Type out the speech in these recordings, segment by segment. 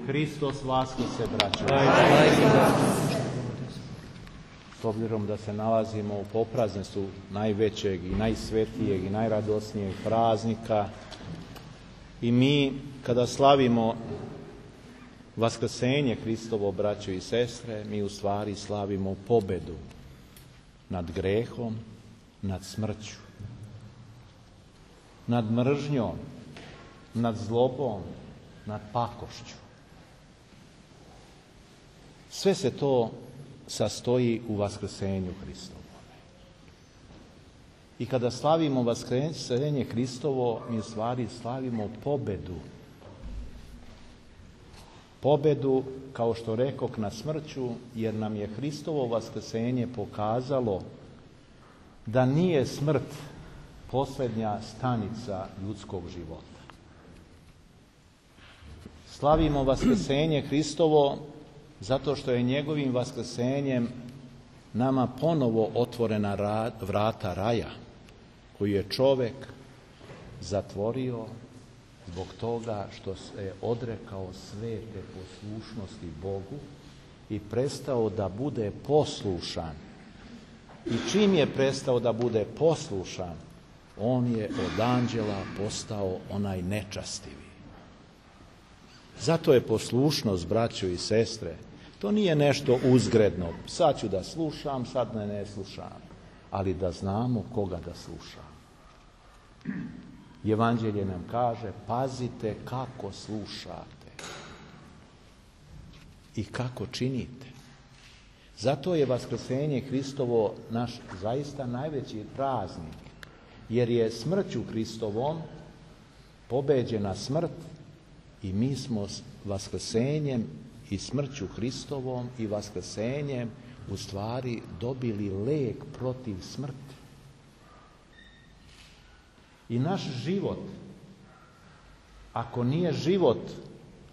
Hristos vaskrsle, braćo. S obzirom da se nalazimo u poprazništvu najvećeg i najsvetijeg i najradosnijeg praznika, i mi kada slavimo vaskrsenje Hristovo, braćo i sestre, mi u stvari slavimo pobedu nad grehom, nad smrću, nad mržnjom, nad zlobom, nad pakošću. Sve se to sastoji u vaskrsenju Hristovo. I kada slavimo vaskrsenje Hristovo, mi u stvari slavimo pobedu. Pobedu, kao što rekoh, nad smrću, jer nam je Hristovo vaskrsenje pokazalo da nije smrt posljednja stanica ljudskog života. Slavimo vaskrsenje Hristovo zato što je njegovim vaskrsenjem nama ponovo otvorena vrata raja, koju je čovjek zatvorio zbog toga što se odrekao svete poslušnosti Bogu i prestao da bude poslušan. I čim je prestao da bude poslušan, on je od anđela postao onaj nečastivi. Zato je poslušnost, braćo i sestre, to nije nešto uzgredno. Sad ću da slušam, sad ne slušam. Ali da znamo koga da slušamo. Evanđelje nam kaže, pazite kako slušate i kako činite. Zato je vaskrsenje Hristovo naš zaista najveći praznik, jer je smrću Hristovom pobeđena smrt i mi smo s vaskrsenjem i smrću Hristovom i vaskrsenjem u stvari dobili lek protiv smrti. I naš život, ako nije život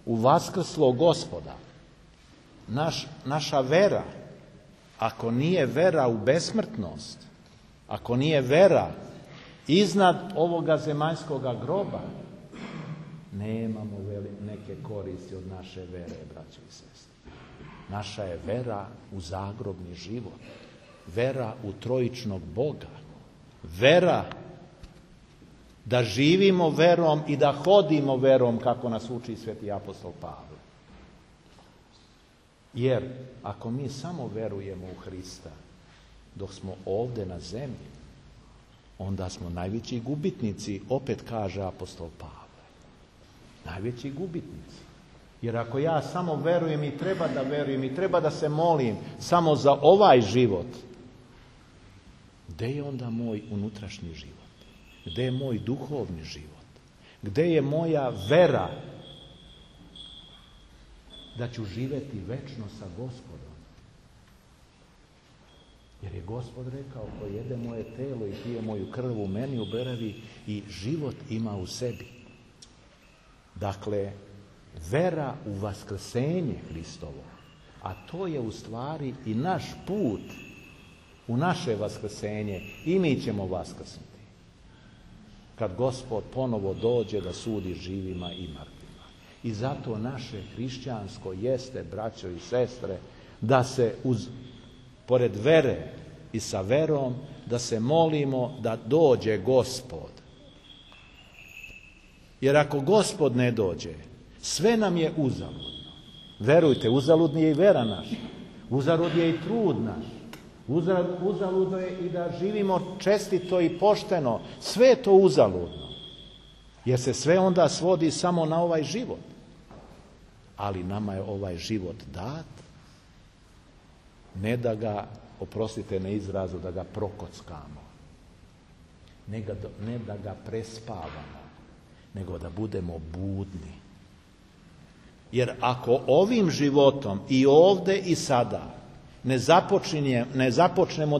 u vaskrslog Gospoda, naša vera, ako nije vera u besmrtnost, ako nije vera iznad ovoga zemaljskoga groba, nemamo neke koristi od naše vere, braćo i sestre. Naša je vera u zagrobni život, vera u trojičnog Boga, vera da živimo verom i da hodimo verom, kako nas uči sveti apostol Pavle. Jer ako mi samo verujemo u Hrista dok smo ovdje na zemlji, onda smo najveći gubitnici, opet kaže apostol Pavle. Najveći gubitnici. Jer ako ja samo verujem i treba da verujem i treba da se molim samo za ovaj život, gde je onda moj unutrašnji život? Gde je moj duhovni život? Gde je moja vera da ću živjeti večno sa Gospodom? Jer je Gospod rekao, ko jede moje telo i pije moju krv, u meni uberavi i život ima u sebi. Dakle, vera u vaskrsenje Hristovo, a to je u stvari i naš put u naše vaskrsenje, i mi ćemo vaskrsnuti. Kad Gospod ponovo dođe da sudi živima i mrtvima. I zato naše hrišćansko jeste, braćo i sestre, da se pored vere i sa verom, da se molimo da dođe Gospod. Jer ako Gospod ne dođe, sve nam je uzaludno. Verujte, uzaludna je i vera naša. Uzalud je i trud naš. Uzaludno je i da živimo čestito i pošteno. Sve je to uzaludno. Jer se sve onda svodi samo na ovaj život. Ali nama je ovaj život dat, ne da ga, oprostite na izrazu, da ga prokockamo. Ne da ga prespavamo, nego da budemo budni. Jer ako ovim životom i ovdje i sada ne započnemo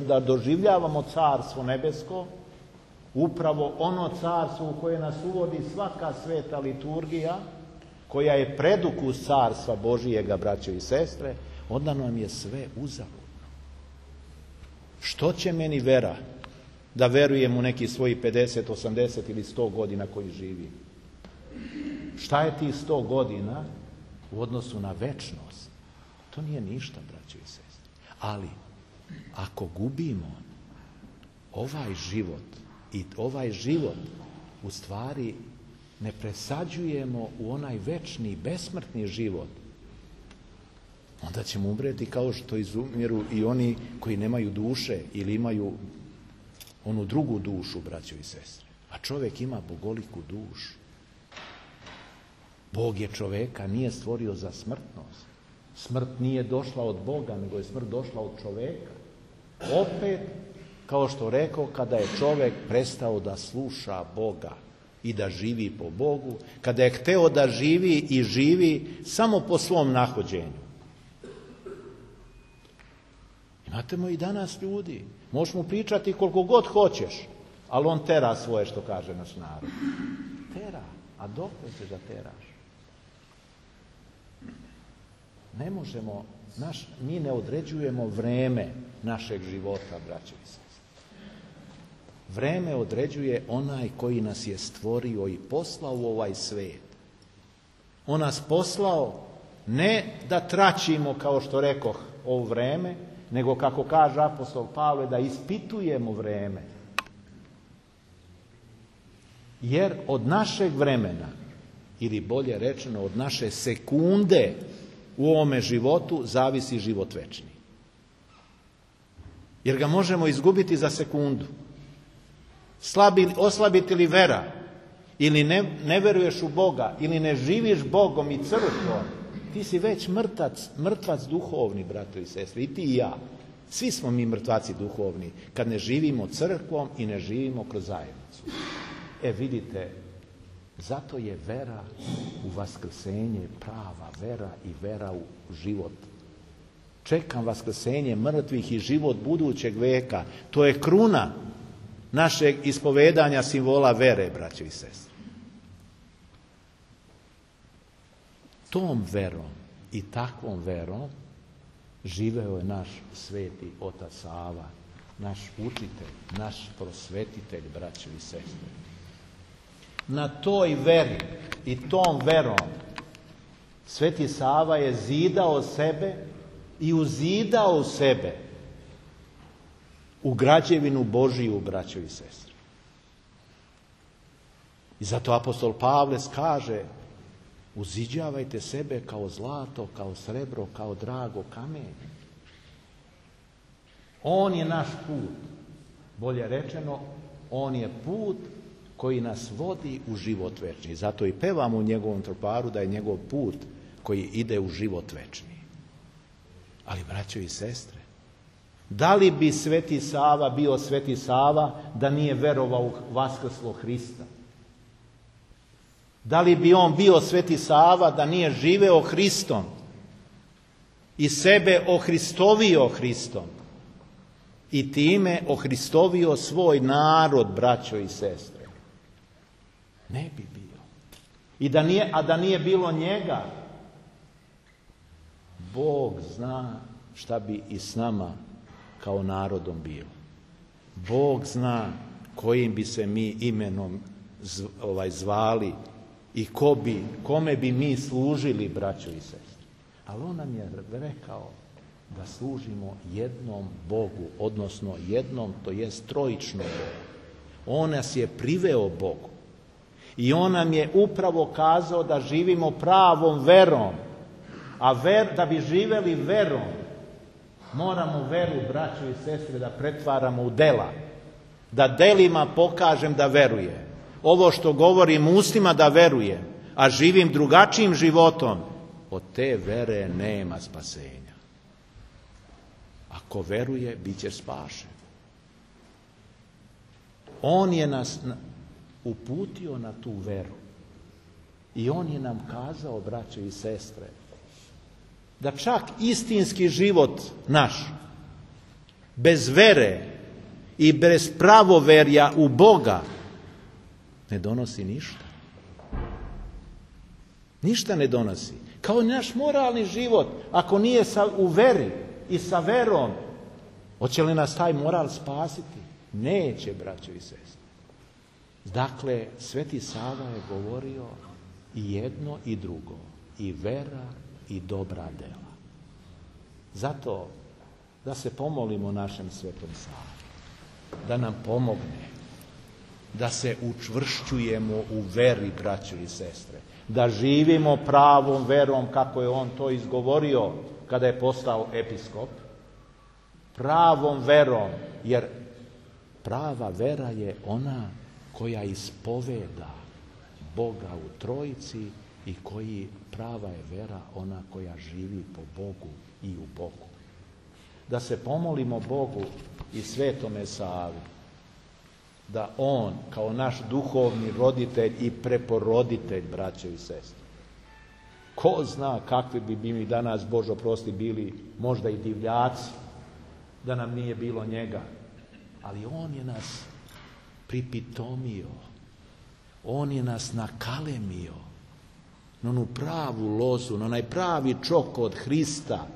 da doživljavamo carstvo nebesko, upravo ono carstvo u koje nas uvodi svaka sveta liturgija, koja je predukus carstva Božijega, braćo i sestre, onda nam je sve uzaludno. Što će meni vera da verujem u neki svojih 50, 80 ili 100 godina koji živi. Šta je tih 100 godina u odnosu na večnost? To nije ništa, braćo i sestre. Ali, ako gubimo ovaj život i ovaj život u stvari ne presađujemo u onaj večni, besmrtni život, onda ćemo umreti kao što izumiru i oni koji nemaju duše ili imaju onu drugu dušu, braćo i sestre. A čovjek ima bogoliku dušu. Bog je čovjeka nije stvorio za smrtnost. Smrt nije došla od Boga, nego je smrt došla od čovjeka. Opet, kao što rekao, kada je čovjek prestao da sluša Boga i da živi po Bogu, kada je hteo da živi i živi samo po svom nahođenju. Imate i danas ljudi, možeš mu pričati koliko god hoćeš, ali on tera svoje, što kaže naš narod. Tera, a dokle ćeš da teraš? Ne možemo, mi ne određujemo vreme našeg života, braće i sestre. Vreme određuje onaj koji nas je stvorio i poslao u ovaj svijet. On nas poslao ne da traćimo, kao što rekoh, ovo vreme, nego, kako kaže apostol Pavle, da ispitujemo vreme. Jer od našeg vremena, ili bolje rečeno od naše sekunde u ovome životu, zavisi život večni. Jer ga možemo izgubiti za sekundu. Oslabiti li vera, ili ne veruješ u Boga, ili ne živiš Bogom i crkvom, ti si već mrtvac duhovni, brato i sestre, i ti i ja. Svi smo mi mrtvaci duhovni, kad ne živimo crkvom i ne živimo kroz zajednicu. Vidite, zato je vera u vaskrsenje prava vera i vera u život. Čekam vaskrsenje mrtvih i život budućeg veka. To je kruna našeg ispovedanja simbola vere, braćo i sestre. Tom verom i takvom verom živeo je naš sveti otac Sava, naš učitelj, naš prosvetitelj, braćo i sestre. Na toj veri i tom verom sveti Sava je zidao sebe i uzidao sebe u građevinu Božiju, braćo i sestre. I zato apostol Pavle kaže: uziđavajte sebe kao zlato, kao srebro, kao drago kamenje. On je naš put. Bolje rečeno, on je put koji nas vodi u život večni. Zato i pevamo u njegovom troparu da je njegov put koji ide u život večni. Ali, braćo i sestre, da li bi sveti Sava bio sveti Sava da nije verovao u vaskrslog Hrista? Da li bi on bio sveti Sava da nije živeo Hristom i sebe ohristovio Hristom i time ohristovio svoj narod, braćo i sestre? Ne bi bio. A da nije bilo njega, Bog zna šta bi i s nama kao narodom bilo. Bog zna kojim bi se mi imenom zvali i kome bi mi služili, braćo i sestre. Ali on nam je rekao da služimo jednom Bogu, odnosno jednom, to jest trojičnom Bogu. On nas je priveo Bogu. I on nam je upravo kazao da živimo pravom verom. A da bi živeli verom, moramo veru, braćo i sestre, da pretvaramo u dela. Da delima pokažem da verujem. Ovo što govorim ustima da verujem, a živim drugačijim životom, od te vere nema spasenja. Ako veruje, bit će spašen. On je nas uputio na tu veru. I on je nam kazao, braćo i sestre, da čak istinski život naš, bez vere i bez pravoverja u Boga, ne donosi ništa. Ništa ne donosi. Kao naš moralni život, ako nije u veri i sa verom, hoće li nas taj moral spasiti? Neće, braćo i sestre. Dakle, Sveti Sava je govorio i jedno i drugo, i vera i dobra dela. Zato da se pomolimo našem Svetom Savi, da nam pomogne, da se učvršćujemo u veri, braćo i sestre, da živimo pravom verom kako je on to izgovorio kada je postao episkop, pravom verom, jer prava vera je ona koja ispoveda Boga u Trojici i koji prava je vera ona koja živi po Bogu i u Bogu. Da se pomolimo Bogu i Svetome Savi, da on kao naš duhovni roditelj i preporoditelj, braćo i sestre, ko zna kakvi bi mi danas, Bože oprosti, bili možda i divljaci, da nam nije bilo njega, ali on je nas pripitomio, on je nas nakalemio na onu pravu lozu, na onaj pravi čok od Hrista.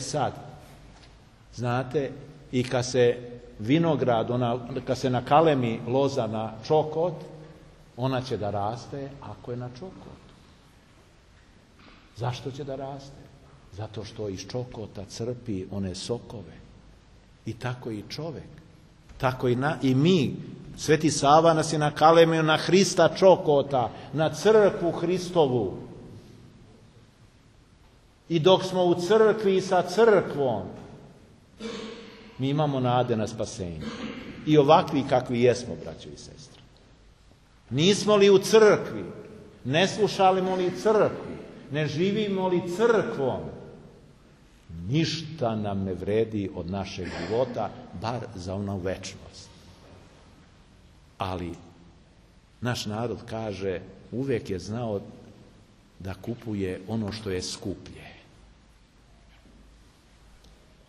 Sad, znate, i kad se vinograd, kad se nakalemi loza na čokot, ona će da raste ako je na čokotu. Zašto će da raste? Zato što iz čokota crpi one sokove. I tako i čovek. Tako i mi. Sveti Sava nas je nakalemio na Hrista čokota, na crkvu Hristovu. I dok smo u crkvi i sa crkvom, mi imamo nade na spasenje. I ovakvi kakvi jesmo, braćo i sestre. Nismo li u crkvi, ne slušamo li crkvu, ne živimo li crkvom, ništa nam ne vredi od našeg života, bar za onu večnost. Ali naš narod kaže, uvijek je znao da kupuje ono što je skuplje.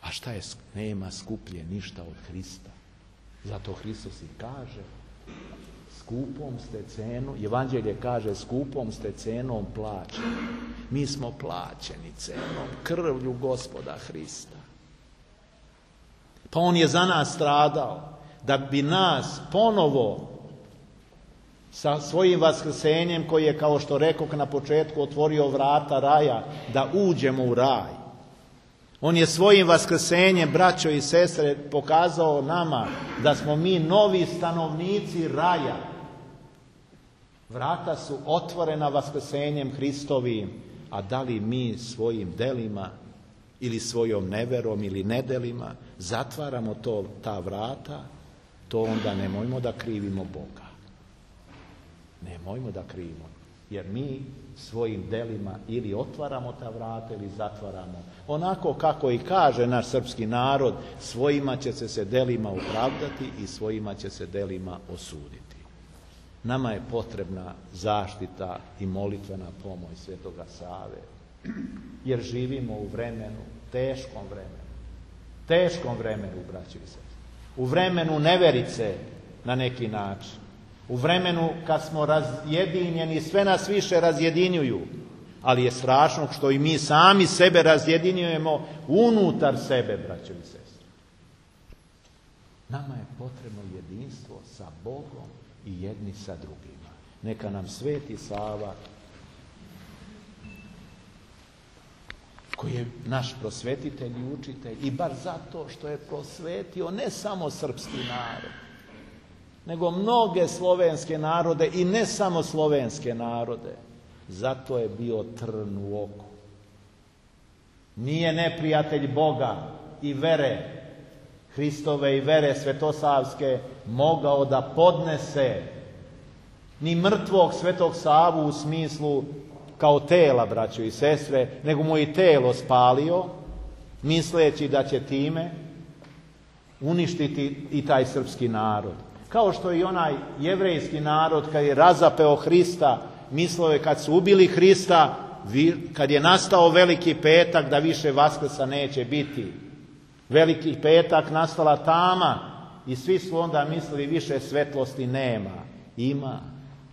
A šta je? Nema skuplje ništa od Hrista. Zato Hristos i kaže, skupom ste cenu, Evanđelje kaže, skupom ste cenom plaćeni. Mi smo plaćeni cenom, krvlju Gospoda Hrista. Pa on je za nas stradao, da bi nas ponovo sa svojim vaskrsenjem, koji je, kao što rekoh na početku, otvorio vrata raja, da uđemo u raj. On je svojim vaskrsenjem, braćo i sestre, pokazao nama da smo mi novi stanovnici raja. Vrata su otvorena vaskrsenjem Hristovim, a da li mi svojim delima ili svojom neverom ili nedelima zatvaramo ta vrata, to onda nemojmo da krivimo Boga. Nemojmo da krivimo, jer mi svojim delima ili otvaramo ta vrata ili zatvaramo. Onako kako i kaže naš srpski narod, svojima će se delima opravdati i svojima će se delima osuditi. Nama je potrebna zaštita i molitvena pomoć Svetoga Save, jer živimo u vremenu, teškom vremenu, braćo i sestre. U vremenu neverice na neki način. U vremenu kad smo razjedinjeni, sve nas više razjedinjuju, ali je strašno što i mi sami sebe razjedinjujemo unutar sebe, braćo i sestre. Nama je potrebno jedinstvo sa Bogom i jedni sa drugima. Neka nam Sveti Sava, koji je naš prosvetitelj i učitelj, i bar zato što je prosvetio ne samo srpski narod, nego mnoge slovenske narode i ne samo slovenske narode. Zato je bio trn u oku. Nije neprijatelj Boga i vere Hristove i vere svetosavske mogao da podnese ni mrtvog Svetog Savu u smislu kao tela, braćo i sestre, nego mu i telo spalio, misleći da će time uništiti i taj srpski narod. Kao što i onaj jevrejski narod kad je razapeo Hrista, mislio je kad su ubili Hrista, kad je nastao Veliki petak, da više Vaskrsa neće biti. Veliki petak, nastala tama i svi su onda mislili više svetlosti nema. Ima.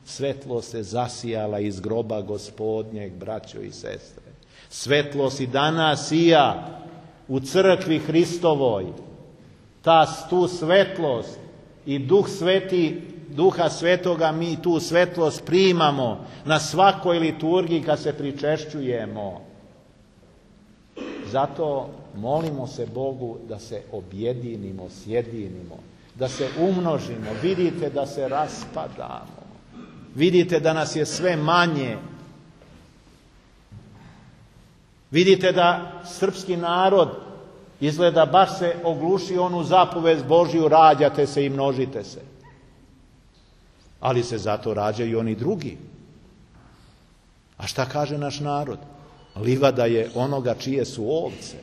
Svetlost se zasijala iz groba Gospodnjeg, braćo i sestre. Svetlost i danas sija u crkvi Hristovoj. tu svetlost i Duha Svetoga mi tu svetlost primamo na svakoj liturgiji kad se pričešćujemo. Zato molimo se Bogu da se objedinimo, sjedinimo, da se umnožimo. Vidite da se raspadamo. Vidite da nas je sve manje. Vidite da srpski narod izgleda baš se ogluši onu zapovest Božju, rađate se i množite se. Ali se zato rađaju i oni drugi. A šta kaže naš narod? Livada je onoga čije su ovce.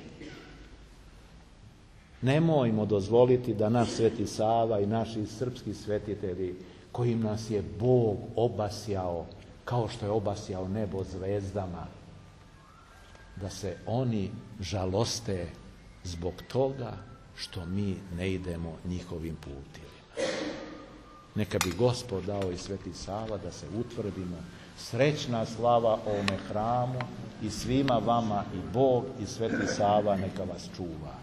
Nemojmo dozvoliti da naš Sveti Sava i naši srpski svetitelji, kojim nas je Bog obasjao, kao što je obasjao nebo zvezdama, da se oni žaloste zbog toga što mi ne idemo njihovim putevima. Neka bi Gospod dao i Sveti Sava da se utvrdimo. Srećna slava ovome hramu i svima vama, i Bog i Sveti Sava neka vas čuva.